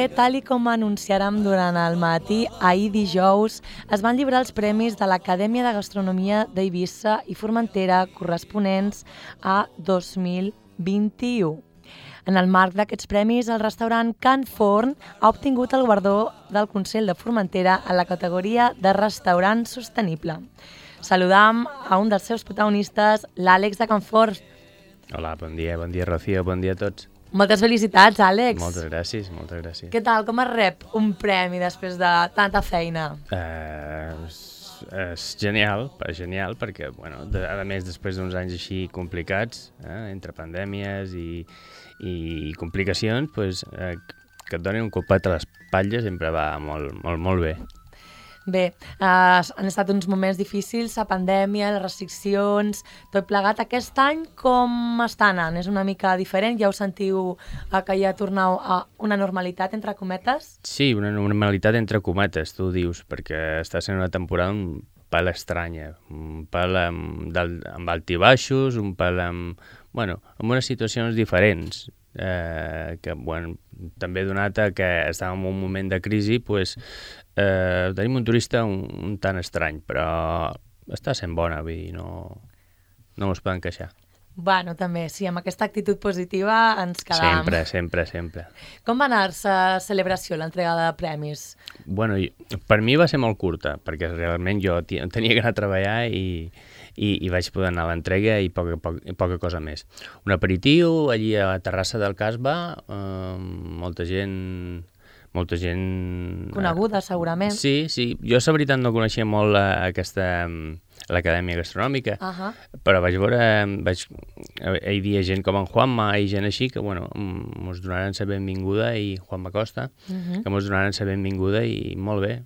que, tal i com anunciàrem durant el matí, ahir dijous, es van lliurar els premis de l'Acadèmia de Gastronomia d'Eivissa i Formentera corresponents a 2021. En el marc d'aquests premis, el restaurant Can Forn ha obtingut el guardó del Consell de Formentera en la categoria de restaurant sostenible. Saludam a un dels seus protagonistes, l'Àlex de Can Forn. Hola, bon dia, Rocío, bon dia a tots. Moltes felicitats, Àlex. Moltes gràcies. Què tal, com es rep un premi després de tanta feina? És genial, perquè, bueno, a més, després d'uns anys així complicats, entre pandèmies i complicacions, pues, que et donin un copet a l'espatlla sempre va molt bé. Bé, han estat uns moments difícils, la pandèmia, les restriccions, tot plegat. Aquest any com està anant? És una mica diferent? Ja ho sentiu que ja torneu a una normalitat, entre cometes? Sí, una normalitat entre cometes, tu dius, perquè està sent una temporada un pèl estranya, un pèl amb altibaixos, un pèl amb unes situacions diferents, que, bueno, també donat que estàvem en un moment de crisi, pues, tenim un turista un tant estrany, però està sent bona, vull dir, no es poden queixar. Bueno, també, sí, amb aquesta actitud positiva ens quedam. Sempre. Com va anar-se la celebració, l'entrega de premis? Bueno, per mi va ser molt curta, perquè realment jo tenia que anar a treballar i vaig poder anar a l'entrega i poca cosa més. Un aperitiu allí a la terrassa del Casbah, molta gent... Coneguda, segurament. Sí. Jo, la veritat, no coneixia molt l'Acadèmia Gastronòmica, però vaig veure, hi havia gent com en Juanma i gent així que, bueno, mos donaren la benvinguda, i Juanma Costa, que mos donaren la benvinguda, i molt bé.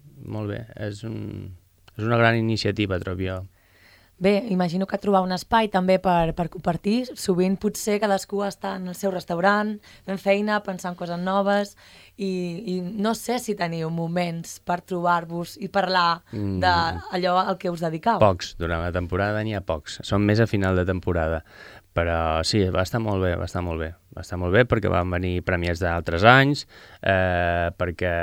És una gran iniciativa, trobo jo. Bé, imagino que trobar un espai també per compartir. Sovint potser cadascú està en el seu restaurant, fent feina, pensant coses noves, i no sé si teniu moments per trobar-vos i parlar d'allò al que us dedicau. Pocs, durant la temporada n'hi ha pocs. Són més a final de temporada. Però sí, va estar molt bé. Va estar molt bé perquè van venir premiats d'altres anys, perquè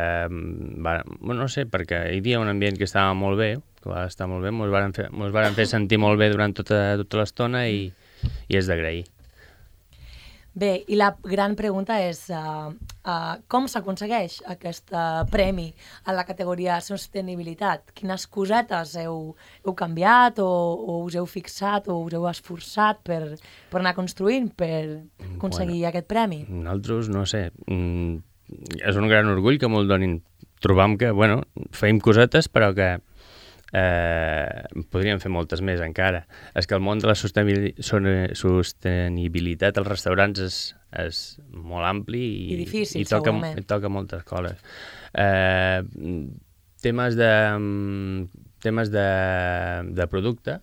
hi havia un ambient que estava molt bé, mos varen fer sentir molt bé durant tota l'estona, i és d'agrair. Bé, i la gran pregunta és com s'aconsegueix aquest premi a la categoria sostenibilitat? Quines cosetes heu canviat o us heu fixat o us heu esforçat per anar construint per aconseguir aquest premi? Nosaltres, no sé, és un gran orgull que me'l donin. Trobam que, feim cosetes, però que podríem fer moltes més encara. És que el món de la sostenibilitat als restaurants és molt ampli i difícil, i toca moltes coses. Temes de producte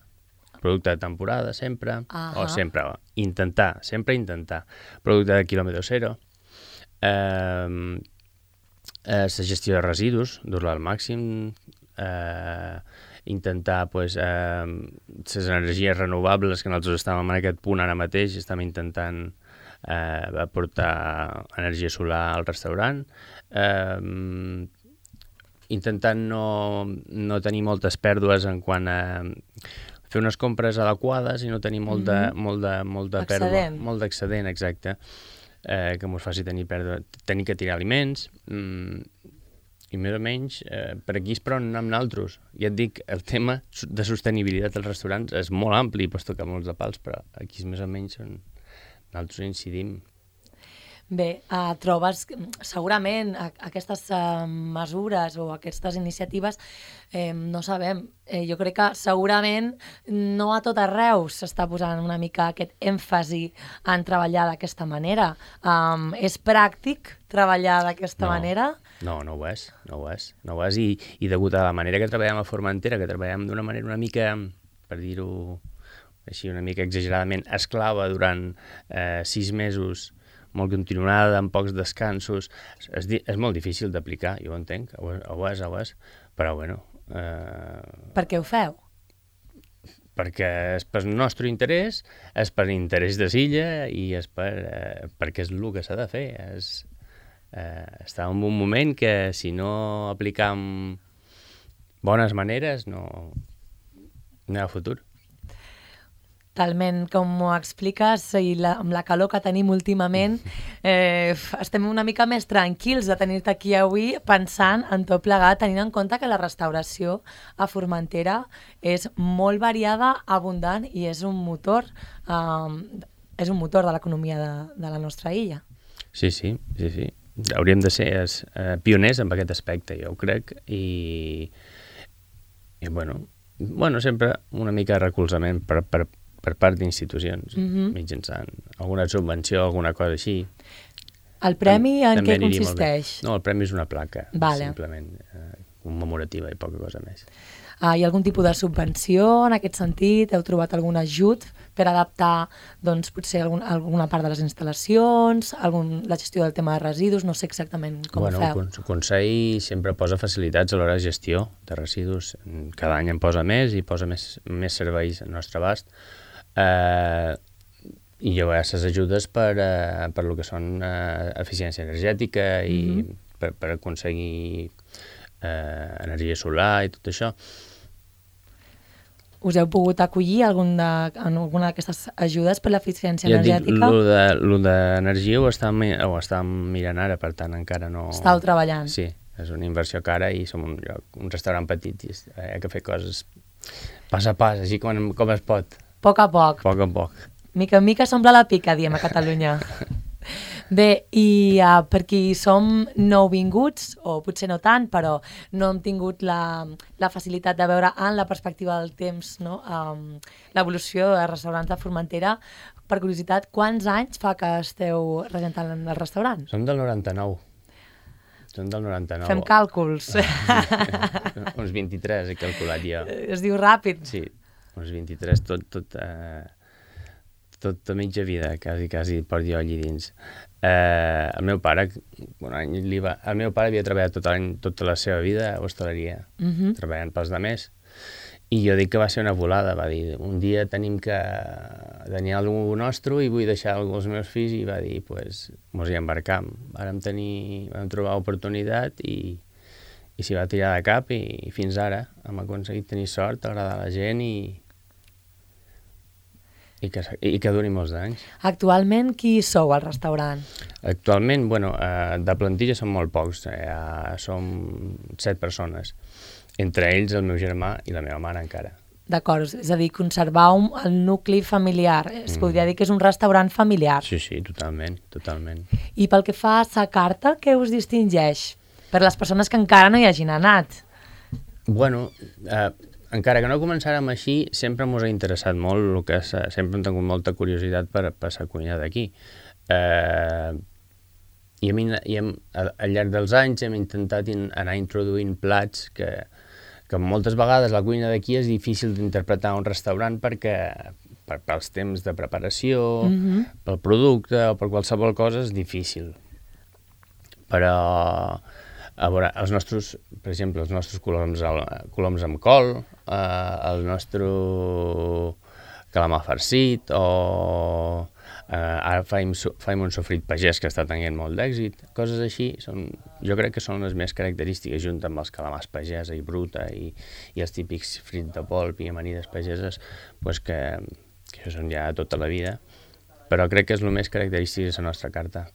de temporada sempre, intentar. Producte de quilòmetre zero, la gestió de residus, dur-la al màxim, intentar les energies renovables, que nosaltres estàvem en aquest punt ara mateix, estem intentant aportar energia solar al restaurant, intentant no tenir moltes pèrdues en quant a fer unes compres adequades i no tenir molt pèrdua, molt d'excedent, exacte, que ens faci tenir que tirar aliments, i més o menys per aquí és per on anem nosaltres. Ja et dic, el tema de sostenibilitat als restaurants és molt ampli i pots tocar molts de pals, però aquí és més o menys on nosaltres incidim. Bé, trobes segurament aquestes mesures o aquestes iniciatives, no sabem, jo crec que segurament no a tot arreu s'està posant una mica aquest èmfasi en treballar d'aquesta manera. És pràctic treballar d'aquesta manera? No ho és, i degut a la manera que treballem a Formentera, que treballem d'una manera una mica, per dir-ho així, una mica exageradament esclava durant 6 mesos, molt continuada, amb pocs descansos, és molt difícil d'aplicar, jo ho entenc, ho és, però bueno... Per què ho feu? Perquè és per nostre interès, és per interès de l'illa i és perquè és el que s'ha de fer, Està en un moment que si no aplicam bones maneres no hi ha futur. Talment, com ho expliques, i amb la calor que tenim últimament, estem una mica més tranquils de tenir-te aquí avui pensant en tot plegat, tenint en compte que la restauració a Formentera és molt variada, abundant i és un motor de l'economia de la nostra illa. Sí. Hauríem de ser pioners en aquest aspecte, jo ho crec, i bueno, sempre una mica de recolzament per part d'institucions, mitjançant alguna subvenció, alguna cosa així. El premi en què consisteix? No, el premi és una placa, simplement commemorativa i poca cosa més. Hi ha algun tipus de subvenció en aquest sentit? Heu trobat algun ajut per adaptar doncs, potser alguna part de les instal·lacions, la gestió del tema de residus? No sé exactament com ho feu. El Consell sempre posa facilitats a l'hora de gestió de residus. Cada any en posa més i posa més serveis al nostre abast. I hi ha aquestes ajudes per el que són eficiència energètica i per aconseguir energia solar i tot això. Us heu pogut acollir en alguna d'aquestes ajudes per l'eficiència energètica? Lo d'energia ho estàvem mirant ara, per tant encara no... Estàu treballant. Sí, és una inversió cara i som un restaurant petit i hi ha que fer coses pas a pas, així com es pot. A poc a poc. A poc a poc. Mica en mica s'omple la pica, diem a Catalunya. Bé, i per qui som nouvinguts, o potser no tant, però no hem tingut la facilitat de veure en la perspectiva del temps, no? L'evolució de restaurants de Formentera, per curiositat, quants anys fa que esteu regentant el restaurant? Som del 99. Fem càlculs. Uns 23 he calculat jo. Es diu ràpid. Sí, uns 23, tot a mitja vida, quasi porto jo allí dins. El meu pare havia treballat tota la seva vida a hostaleria, treballant pels demés, i jo dic que va ser una volada, va dir, un dia tenim que tenir alguna cosa nostre i vull deixar als meus fills, i va dir, pues, mos hi embarcam. Vam trobar oportunitat i s'hi va tirar de cap i fins ara hem aconseguit tenir sort, agradar a la gent i que duri molts anys. Actualment, qui sou al restaurant? Actualment, de plantilla som molt pocs, som 7 persones, entre ells el meu germà i la meva mare encara. D'acord, és a dir, conservar el nucli familiar, es podria dir que és un restaurant familiar. Sí, totalment. I pel que fa a la carta, què us distingeix? Per les persones que encara no hi hagin anat. Encara que no començàrem així, sempre ens ha interessat molt, sempre hem tingut molta curiositat per la cuina d'aquí. I al llarg dels anys hem intentat anar introduint plats que moltes vegades la cuina d'aquí és difícil d'interpretar a un restaurant pels temps de preparació, pel producte o per qualsevol cosa és difícil. Però... A veure, per exemple, els nostres coloms amb col, el nostre calamar farcit, o ara faim un sofrit pagès que està tenint molt d'èxit. Coses així, jo crec que són les més característiques, junt amb els calamars pagesa i bruta i els típics frits de polp i amanides pageses, que això són ja tota la vida, però crec que és el més característic de la nostra carta.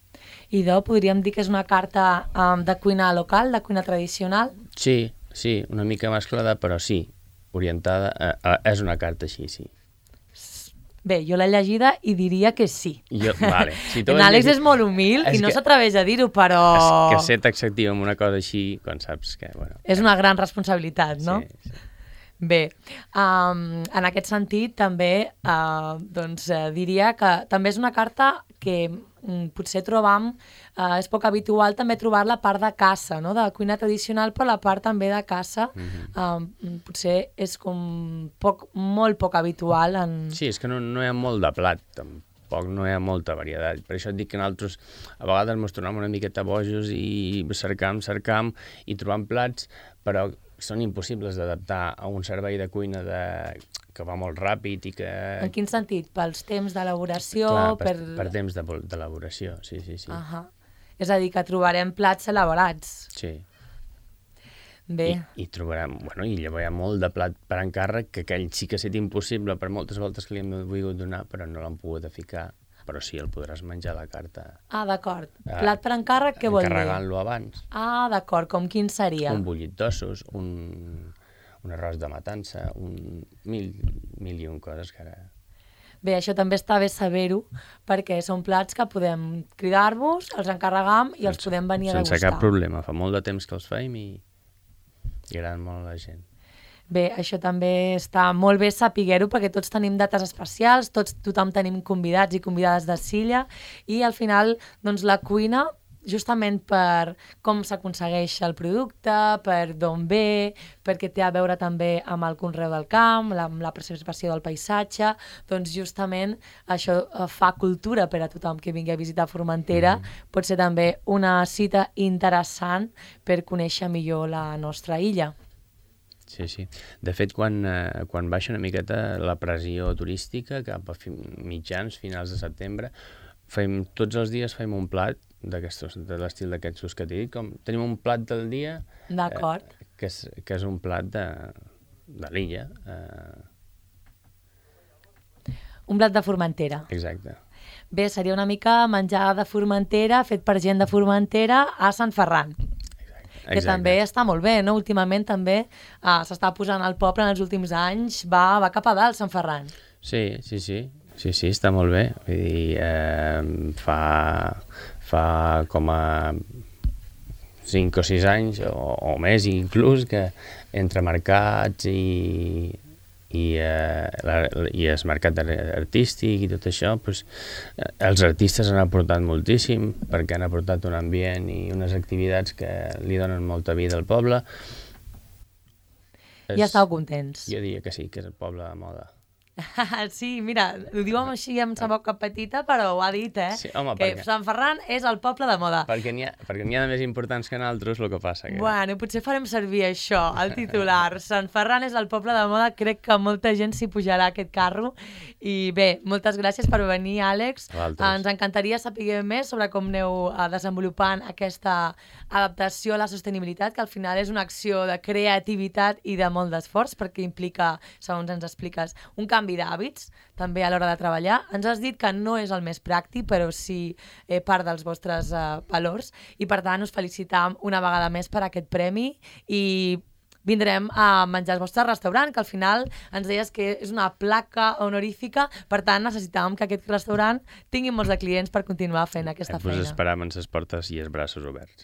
I podríem dir que és una carta de cuina local, de cuina tradicional? Sí, una mica mesclada, però sí, orientada, és una carta així, sí. Bé, jo l'he llegida i diria que sí. Vale. En Àlex és molt humil i no s'atreveix a dir-ho, però... És que ser taxatiu amb una cosa així, quan saps que... És una gran responsabilitat, no? Sí. Bé, en aquest sentit també diria que també és una carta que potser trobam, és poc habitual també trobar la part de caça, no? De cuina tradicional, però la part també de caça potser és com molt poc habitual. Sí, és que no hi ha molt de plat, tampoc no hi ha molta varietat. Per això et dic que nosaltres a vegades ens tornem una miqueta bojos i cercam i trobam plats, però són impossibles d'adaptar a un servei de cuina que va molt ràpid i que... En quin sentit? Pels temps d'elaboració? Clar, per temps d'elaboració, sí. És a dir, que trobarem plats elaborats. Sí. Bé. I trobarem, bueno, i llavors hi ha molt de plat per encàrrec, que aquell sí que ha estat impossible per moltes voltes que li hem volgut donar, però no l'han pogut ficar. Però sí, el podràs menjar a la carta. Ah, d'acord. Plat per encàrrec, què vol dir? Encarregant-lo abans. Ah, d'acord. Com quin seria? Un bullit d'ossos, un arròs de matança, mil i un coses que ara... Bé, això també està bé saber-ho, perquè són plats que podem cridar-vos, els encarregam i els podem venir a degustar. Sense cap problema. Fa molt de temps que els feim i agraden molt a la gent. Bé, això també està molt bé saber-ho, perquè tots tenim dates especials, tothom tenim convidats i convidades de Silla, i al final, doncs, la cuina, justament per com s'aconsegueix el producte, per d'on ve, perquè té a veure també amb el conreu del camp, amb la preservació del paisatge, doncs justament això fa cultura per a tothom que vingui a visitar Formentera. Pot ser també una cita interessant per conèixer millor la nostra illa. Sí, sí. De fet, quan baixa una miqueta la pressió turística, cap a mitjans, finals de setembre, tots els dies fem un plat de l'estil d'aquests que t'he dit. Tenim un plat del dia que és un plat de l'illa. Un plat de Formentera. Exacte. Bé, seria una mica menjar de Formentera, fet per gent de Formentera a Sant Ferran. Que també està molt bé, no? Últimament també s'està posant al poble en els últims anys, va cap a dalt, Sant Ferran. Sí, està molt bé. Vull dir, fa com a 5 o 6 anys, o més inclús, que entre mercats i el mercat artístic i tot això, doncs, els artistes han aportat moltíssim, perquè han aportat un ambient i unes activitats que li donen molta vida al poble. I estàu contents? Jo diria que sí, que és el poble de moda. Sí, mira, ho diu així amb sa boca petita, però ho ha dit, Sí, home, que Sant Ferran és el poble de moda. Perquè n'hi ha de més importants que nosaltres, el que passa. Bueno, potser farem servir això, el titular. Sant Ferran és el poble de moda, crec que molta gent s'hi pujarà a aquest carro. I bé, moltes gràcies per venir, Àlex. Ens encantaria saber més sobre com aneu desenvolupant aquesta adaptació a la sostenibilitat, que al final és una acció de creativitat i de molt d'esforç, perquè implica, segons ens expliques, un canvi d'hàbits, també a l'hora de treballar. Ens has dit que no és el més pràctic, però sí part dels vostres valors, i per tant us felicitam una vegada més per aquest premi i vindrem a menjar al vostre restaurant, que al final ens deies que és una placa honorífica, per tant necessitàvem que aquest restaurant tingui molts de clients per continuar fent aquesta feina. Us esperam amb les portes i els braços oberts.